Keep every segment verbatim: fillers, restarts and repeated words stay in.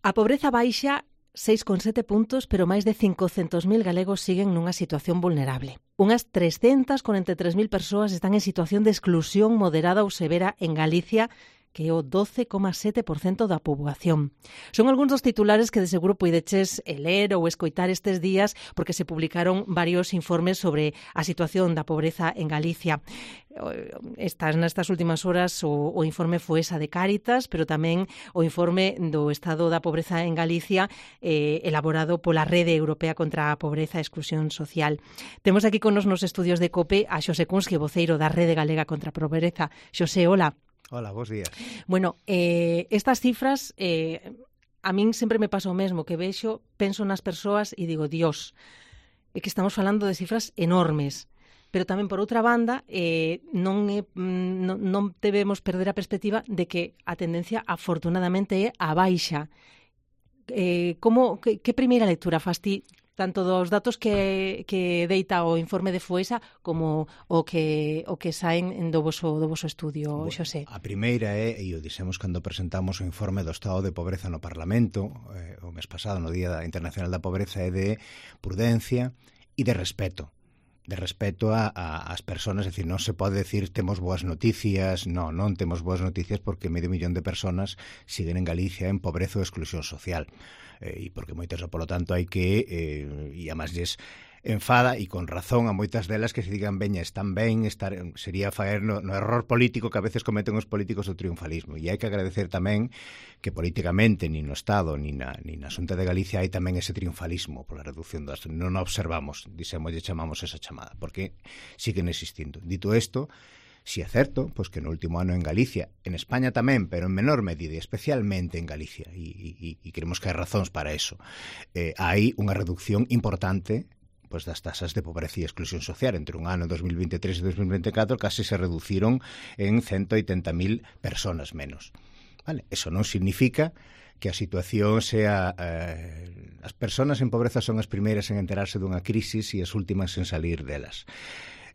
A pobreza baixa seis coma sete puntos, pero máis de cincocentos mil galegos siguen nunha situación vulnerable. Unhas trescentas corenta e tres mil persoas están en situación de exclusión moderada ou severa en Galicia, que é o doce coma sete por cento da poboación. Son algúns dos titulares que de seguro poideches ler ou escoitar estes días porque se publicaron varios informes sobre a situación da pobreza en Galicia. Estas, nestas últimas horas o, o informe Foesa de Cáritas, pero tamén o informe do estado da pobreza en Galicia eh, elaborado pola Rede Europea contra a Pobreza e Exclusión Social. Temos aquí con nos nos estudios de COPE a Xosé Cunski, voceiro da Rede Galega contra a Pobreza. Xosé, hola. Hola, bons días. Bueno, eh, estas cifras, eh, a min sempre me pasa o mesmo, que vexo, penso nas persoas e digo, Dios, é que estamos falando de cifras enormes. Pero tamén, por outra banda, eh, non, é, non, non debemos perder a perspectiva de que a tendencia, afortunadamente, é a baixa. Eh, como, que, que primeira lectura fas ti, tanto dos datos que, que deita o informe de Foesa como o que o que saen do voso, do voso estudio, bueno, Xosé? A primeira é, e o dixemos cando presentamos o informe do estado de pobreza no Parlamento, eh, o mes pasado, no Día Internacional da Pobreza, é de prudencia e de respeto. de respeto a, a, as persoas, é dicir, non se pode decir temos boas noticias, non, non temos boas noticias porque medio millón de persoas siguen en Galicia en pobreza ou exclusión social, eh, e porque moitas, polo tanto, hai que, eh, e a máis lles enfada, e con razón a moitas delas, que se digan, veña, están ben, estar, sería faer no, no error político que a veces cometen os políticos do triunfalismo. E hai que agradecer tamén que políticamente, nin no Estado, nin na, nin na Xunta de Galicia, hai tamén ese triunfalismo pola reducción das... Non observamos, dixemos, lle chamamos esa chamada, porque siguen existindo. Dito isto, si é certo, pois que no último ano en Galicia, en España tamén, pero en menor medida, especialmente en Galicia, e, e, e creemos que hai razóns para eso, eh, hai unha reducción importante pois das tasas de pobreza e exclusión social. Entre un ano dos mil veintitrés e dos mil veinticuatro case se reduciron en ciento oitenta mil persoas menos. Vale? Eso non significa que a situación sea... Eh, as persoas en pobreza son as primeiras en enterarse dunha crisis e as últimas en salir delas.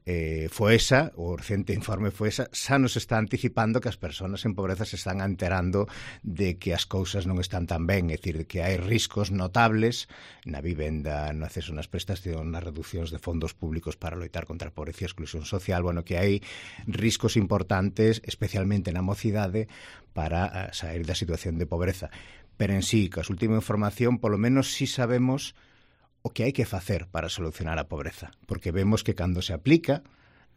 Eh, Foesa, o recente informe Foesa, xa nos está anticipando que as persoas en pobreza se están enterando de que as cousas non están tan ben, é dicir, que hai riscos notables na vivenda, no acceso nas prestacións, nas reduccións de fondos públicos para loitar contra a pobreza e a exclusión social, bueno, que hai riscos importantes, especialmente na mocidade, para sair da situación de pobreza. Pero en sí, que a última información, polo menos si sabemos o que hai que facer para solucionar a pobreza, porque vemos que cando se aplica,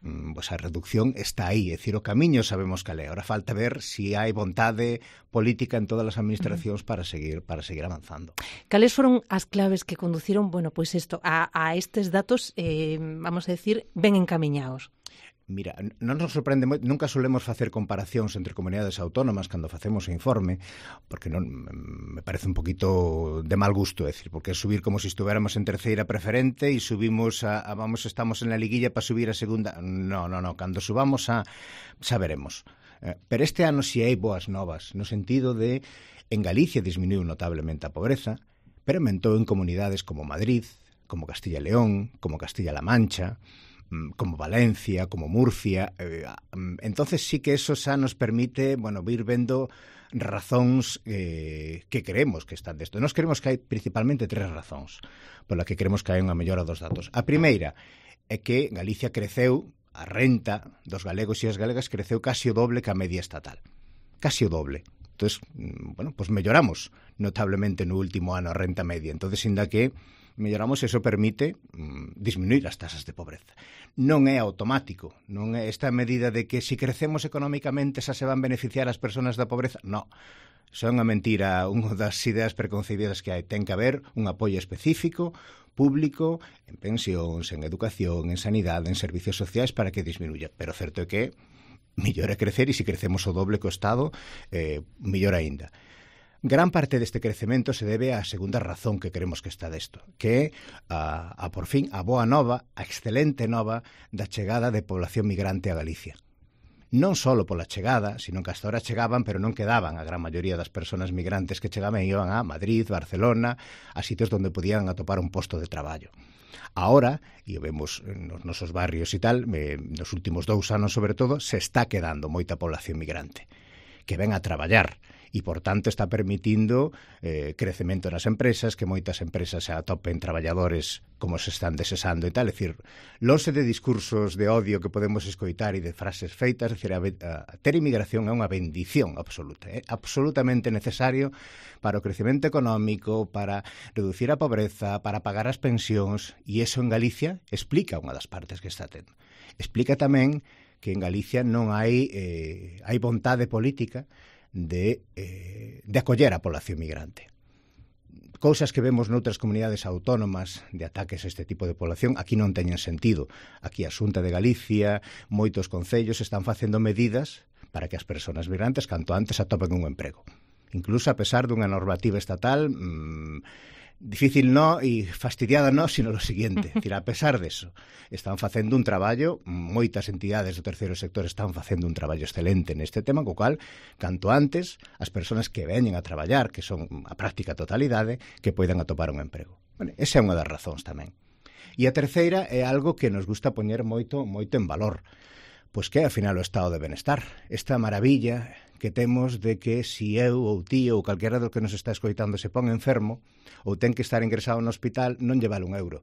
pues a reducción está aí, é dicir, o camiño sabemos cal é. Ahora falta ver se si hai vontade política en todas as administracións para seguir para seguir avanzando. Cales foron as claves que conduciron, bueno, pois pues isto, a, a estes datos, eh, vamos a decir, ben encamiñados? Mira, non nos sorprende moito, nunca solemos facer comparacións entre comunidades autónomas cando facemos o informe, porque non me parece un poquito de mal gusto, é dicir, porque é subir como se si estuviéramos en terceira preferente e subimos a, a vamos, estamos en la liguilla para subir a segunda. No, no, no, cando subamos a xa veremos. Eh, pero este ano si hai boas novas, no sentido de en Galicia disminuiu notablemente a pobreza, pero aumentou en comunidades como Madrid, como Castilla e León, como Castilla-La Mancha, como Valencia, como Murcia. Eh, entonces sí que eso xa nos permite, bueno, ir vendo razóns eh, que creemos que están desto. Nos creemos que hai principalmente tres razóns pola que creemos que hai unha mellora dos datos. A primeira é que Galicia creceu, a renta dos galegos e as galegas creceu casi o doble que a media estatal. Casi o doble. Entonces, bueno, pues melloramos notablemente no último ano a renta media. Entonces, inda que melloramos, eso permite mm, disminuir as tasas de pobreza. Non é automático, non é esta medida de que se si crecemos económicamente xa se van beneficiar as persoas da pobreza. No, son a mentira, unha das ideas preconcebidas que hai. Ten que haber un apoio específico, público, en pensións, en educación, en sanidade, en servicios sociais para que disminuya. Pero certo é que mellor é crecer, e se crecemos o doble que o Estado, eh, mellor aínda. Gran parte deste crecemento se debe á segunda razón que queremos que está desto, que é a, a por fin, a boa nova, a excelente nova da chegada de población migrante a Galicia. Non só pola chegada, sino que hasta ahora chegaban, pero non quedaban. A gran maioría das persoas migrantes que chegaban iban a Madrid, Barcelona, a sitios onde podían atopar un posto de traballo. Ahora, e o vemos nos nosos barrios e tal, eh, nos últimos dous anos sobre todo, se está quedando moita población migrante que ven a traballar. E, por tanto, está permitindo eh, crecemento nas empresas, que moitas empresas se atopen traballadores como se están desesando e tal. É dicir, lonxe de discursos de odio que podemos escoitar e de frases feitas, é dicir, a, a ter inmigración é unha bendición absoluta, é absolutamente necesario para o crecemento económico, para reducir a pobreza, para pagar as pensións, e iso en Galicia explica unha das partes que está tendo. Explica tamén que en Galicia non hai, eh, hai vontade política de, eh, de acoller a población migrante. Cousas que vemos noutras comunidades autónomas de ataques a este tipo de población, aquí non teñen sentido. Aquí a Xunta de Galicia, moitos concellos están facendo medidas para que as persoas migrantes canto antes atopen un emprego. Incluso a pesar dunha normativa estatal mmm, difícil no e fastidiada no, sino lo siguiente, decir, a pesar deso, están facendo un traballo, moitas entidades do terceiro sector están facendo un traballo excelente neste tema, co cual, canto antes, as persoas que veñen a traballar, que son a práctica totalidade, que poidan atopar un emprego. Bueno, esa é unha das razóns tamén. E a terceira é algo que nos gusta poñer moito, moito en valor, pois que é, ao final, o estado de benestar, esta maravilla que temos de que si eu ou ti ou calquera do que nos está escoitando se pon enfermo ou ten que estar ingresado no hospital, non lle vale un euro.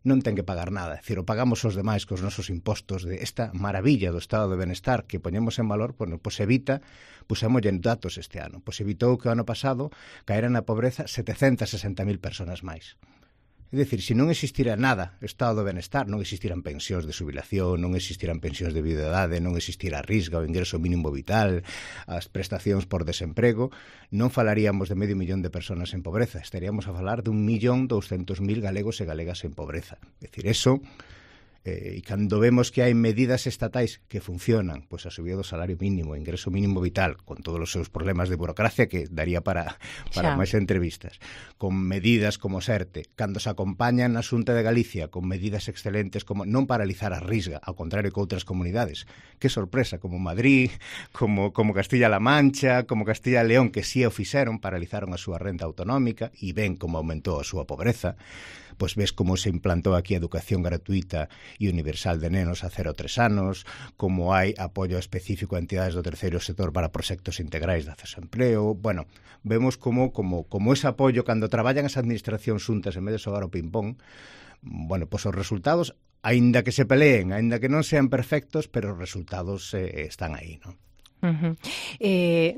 Non ten que pagar nada. É dicir, o pagamos os demais cos nosos impostos de esta maravilla do estado de benestar que poñemos en valor, pois, pois evita, pusémoslle en datos este ano, pois evitou que o ano pasado caeran na pobreza setecentas e sesenta mil persoas máis. É dicir, se non existira nada estado de benestar, non existiran pensións de xubilación, non existiran pensións de viudedade, non existira a risga, o ingreso mínimo vital, as prestacións por desemprego, non falaríamos de medio millón de persoas en pobreza, estaríamos a falar de un millón douscentos mil galegos e galegas en pobreza. É dicir, eso, eh, e cando vemos que hai medidas estatais que funcionan, pois a subida do salario mínimo, o ingreso mínimo vital, con todos os seus problemas de burocracia que daría para, para máis entrevistas, con medidas como SERTE, cando se acompañan na Xunta de Galicia con medidas excelentes como non paralizar a risga, ao contrario que outras comunidades, que sorpresa, como Madrid, como, como Castilla-La Mancha, como Castilla-León, que si o fixeron, paralizaron a súa renta autonómica e ven como aumentou a súa pobreza, pois ves como se implantou aquí a educación gratuita e universal de nenos a cero a tres anos, como hai apoio específico a entidades do terceiro sector para proxectos integrais de acceso ao empleo. Bueno, vemos como, como, como ese apoio cando traballan as administracións xuntas en vez de xogar o ping-pong, bueno, pois os resultados, aínda que se peleen, aínda que non sean perfectos, pero os resultados eh, están aí, non? Uh-huh. Eh,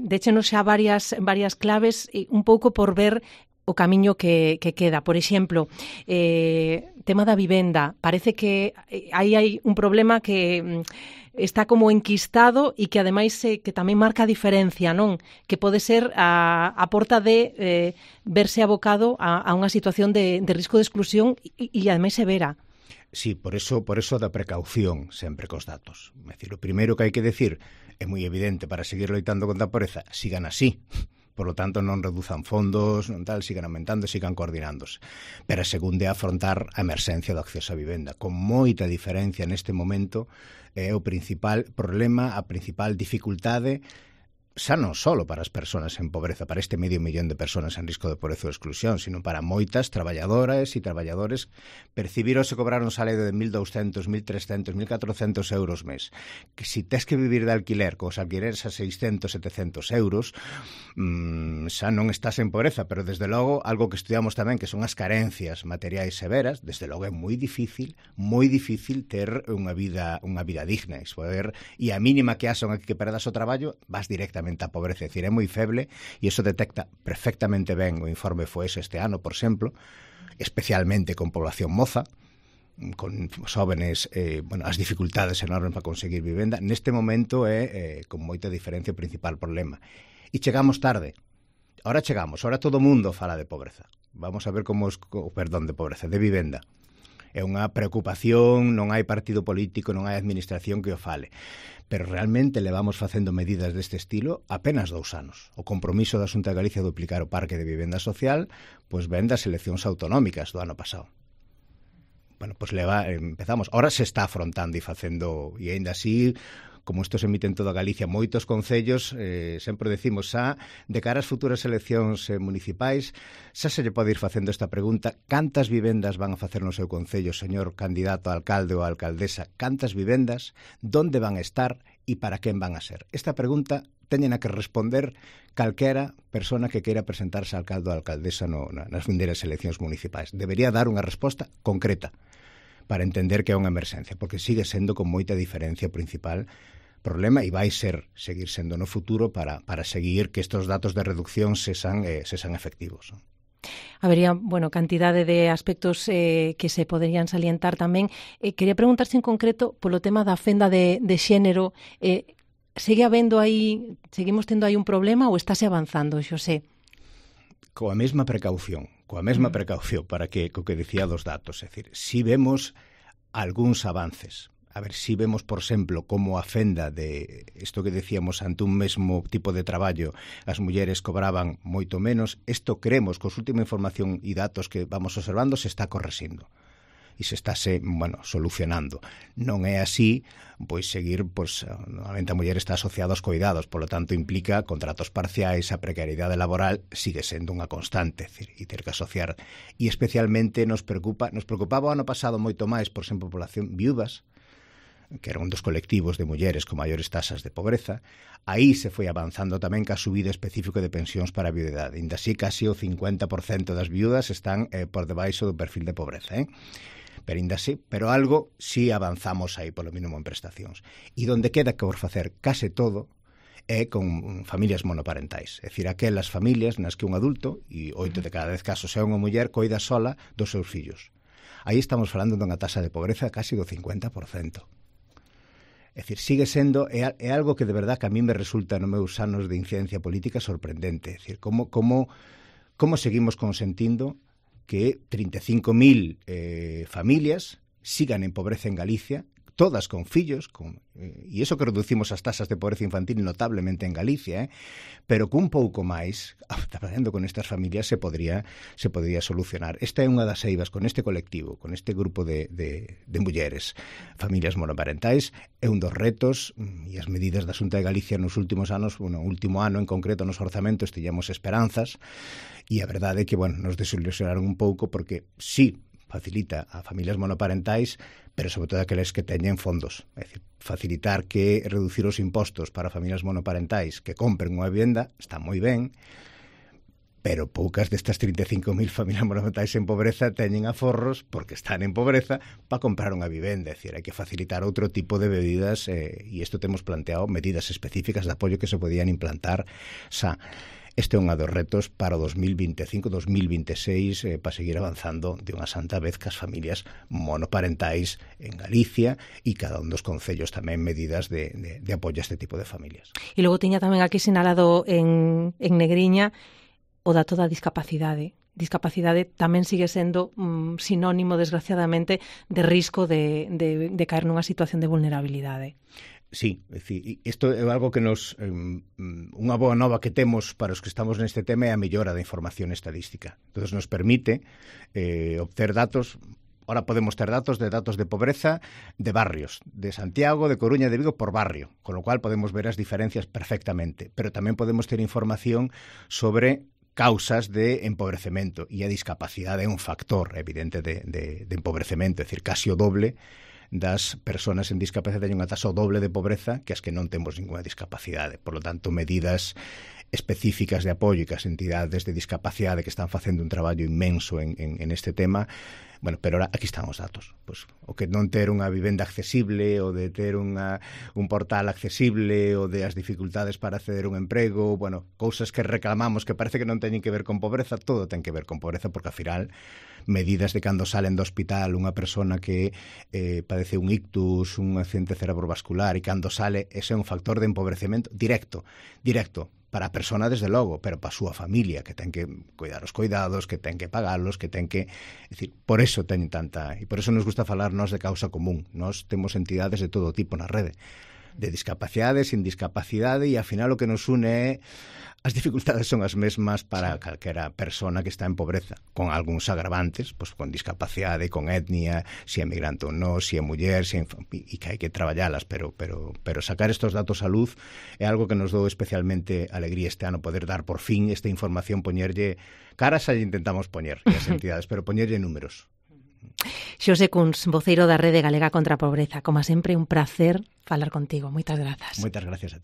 déchenos xa varias, varias claves, un pouco por ver o camiño que, que queda. Por exemplo, eh, tema da vivenda. Parece que aí hai un problema que está como enquistado e que ademais eh, que tamén marca a diferencia, non? Que pode ser a, a porta de eh, verse abocado a, a unha situación de, de risco de exclusión e, e ademais severa. Sí, por eso, por eso da precaución sempre cos datos. É dicir, o primeiro que hai que decir é moi evidente para seguir loitando contra a pobreza, sigan así. Por lo tanto, non reduzan fondos, non tal, sigan aumentando, sigan coordinándose. Pero a segunda é afrontar a emerxencia do acceso á vivenda. Con moita diferencia neste momento, é o principal problema, a principal dificultade, xa non só para as persoas en pobreza, para este medio millón de persoas en risco de pobreza ou exclusión, sino para moitas traballadoras e traballadores percibir ou se cobrar un salario de mil douscentos, mil trescentos, mil catrocentos euros mes. Que si tes que vivir de alquiler, cos alquileres a seiscentos, setecentos euros, mmm, xa non estás en pobreza, pero desde logo, algo que estudiamos tamén, que son as carencias materiais severas, desde logo é moi difícil, moi difícil ter unha vida, unha vida digna, e poder, e a mínima que hason aquí que perdas o traballo, vas directamente a pobreza, é dicir, é moi feble e iso detecta perfectamente ben o informe FOES este ano, por exemplo, especialmente con población moza, con xóvenes, eh, bueno, as dificultades enormes para conseguir vivenda. Neste momento é, eh, con moita diferencia, o principal problema. E chegamos tarde. Ahora chegamos, ahora todo o mundo fala de pobreza. Vamos a ver como, os, perdón, de pobreza, de vivenda. É unha preocupación, non hai partido político, non hai administración que o fale. Pero realmente levamos facendo medidas deste estilo apenas dous anos. O compromiso da Xunta de Galicia de duplicar o parque de vivenda social, pois ven das eleccións autonómicas do ano pasado. Bueno, pois leva, empezamos. Ahora se está afrontando e facendo, e aínda así, como isto se emite en toda Galicia, moitos concellos, eh, sempre decimos xa, de cara ás futuras eleccións eh, municipais, xa se lle pode ir facendo esta pregunta: cantas vivendas van a facer no seu concello, señor candidato a alcalde ou a alcaldesa? Cantas vivendas? Donde van a estar? e para quen van a ser? Esta pregunta teñen a que responder calquera persona que queira presentarse a alcalde ou alcaldesa no, nas vindeiras eleccións municipais. Debería dar unha resposta concreta para entender que é unha emerxencia, porque sigue sendo con moita diferencia o principal problema e vai ser, seguir sendo no futuro para, para seguir que estes datos de reducción sexan, eh, sexan efectivos. Habería, bueno, cantidade de aspectos eh, que se poderían salientar tamén. Eh, quería preguntarse en concreto polo tema da fenda de, de xénero. Eh, segue habendo aí, seguimos tendo aí un problema ou estáse avanzando, Xosé? Coa mesma precaución, coa mesma Mm. precaución para que, co que dicía dos datos, é dicir, si vemos algúns avances. A ver, si vemos, por exemplo, como a fenda de isto que decíamos ante un mesmo tipo de traballo as mulleres cobraban moito menos, isto creemos que os última información e datos que vamos observando se está correxindo e se estáse, bueno, solucionando. Non é así, pois seguir, pois, normalmente a muller está asociada aos cuidados, polo tanto implica contratos parciais, a precariedade laboral sigue sendo unha constante, decir, e ter que asociar. E especialmente nos preocupa, nos preocupaba o ano pasado moito máis, por exemplo, a población viúvas, que era un dos colectivos de mulleres con maiores tasas de pobreza. Aí se foi avanzando tamén ca subida específico de pensións para a viudedade. Ainda así, casi o cincuenta por cento das viudas están eh, por debaixo do perfil de pobreza, eh? Pero ainda así, pero algo si sí avanzamos aí polo mínimo en prestacións. E donde queda que por facer case todo é con familias monoparentais, é dicir, aquelas familias nas que un adulto, e oito de cada dez casos é unha muller, coida sola dos seus fillos. Aí estamos falando dunha tasa de pobreza casi do cincuenta por cento. É dicir, sigue sendo, é, é algo que de verdad que a mí me resulta nos meus anos de incidencia política sorprendente. É dicir, como, como, como seguimos consentindo que trinta e cinco mil eh, familias sigan en pobreza en Galicia, todas con fillos, con, eh, e iso que reducimos as tasas de pobreza infantil notablemente en Galicia, eh, pero cun pouco máis, traballando con estas familias, se podría, se podría solucionar. Esta é unha das eivas con este colectivo, con este grupo de, de, de mulleres, familias monoparentais, é un dos retos, e as medidas da Xunta de Galicia nos últimos anos, bueno, o último ano en concreto nos orzamentos, tiñamos esperanzas, e a verdade é que, bueno, nos desilusionaron un pouco, porque sí, facilita a familias monoparentais, pero sobre todo aqueles que teñen fondos. É dicir, facilitar que reducir os impostos para familias monoparentais que compren unha vivenda está moi ben, pero poucas destas trinta e cinco mil familias monoparentais en pobreza teñen aforros, porque están en pobreza, para comprar unha vivenda. É dicir, hai que facilitar outro tipo de medidas, eh, e isto temos planteado medidas específicas de apoio que se podían implantar xa. Este é un dos retos para o dos mil vinte e cinco dos mil vinte e seis eh, para seguir avanzando de unha santa vez cas familias monoparentais en Galicia e cada un dos concellos tamén medidas de, de, de apoio a este tipo de familias. E logo tiña tamén aquí sinalado en, en negriña o dato da discapacidade. Discapacidade tamén sigue sendo mm, sinónimo, desgraciadamente, de risco de, de, de caer nunha situación de vulnerabilidade. Sí, é dicir, isto é algo que nos eh, unha boa nova que temos para os que estamos neste tema é a mellora da información estadística. Entón nos permite eh, obter datos. Ahora podemos ter datos de datos de pobreza de barrios, de Santiago, de Coruña, de Vigo por barrio, con lo cual podemos ver as diferencias perfectamente, pero tamén podemos ter información sobre causas de empobrecemento, e a discapacidade é un factor evidente de, de, de empobrecemento, é dicir, casi o doble das persoas en discapacidade teñen unha tasa o doble de pobreza que as que non temos ninguna discapacidade. Por lo tanto, medidas específicas de apoio que as entidades de discapacidade que están facendo un traballo inmenso en, en, en este tema. Bueno, pero ahora aquí están os datos. Pues, o que non ter unha vivenda accesible, o de ter unha, un portal accesible, o de as dificultades para acceder a un emprego, bueno, cousas que reclamamos que parece que non teñen que ver con pobreza, todo ten que ver con pobreza, porque ao final medidas de cando salen do hospital unha persona que eh, padece un ictus, un accidente cerebrovascular, e cando sale, ese é un factor de empobrecemento directo, directo, para a persona desde logo, pero para a súa familia, que ten que cuidar os cuidados, que ten que pagalos, que ten que... É dicir, por eso teñen tanta... E por eso nos gusta falarnos de causa común. Nós temos entidades de todo tipo na rede, de discapacidade, sin discapacidade, e ao final o que nos une é as dificultades son as mesmas para calquera persona que está en pobreza, con algúns agravantes, pues, con discapacidade, con etnia, se é migrante ou non, se é muller, se é e que hai que traballalas, pero, pero, pero sacar estos datos a luz é algo que nos dou especialmente alegría este ano, poder dar por fin esta información, poñerlle caras, aí intentamos poñer as entidades, pero poñerlle números. Xosé Cuns, voceiro da Rede Galega contra a Pobreza. Como sempre, un placer falar contigo. Moitas grazas. Moitas gracias a ti.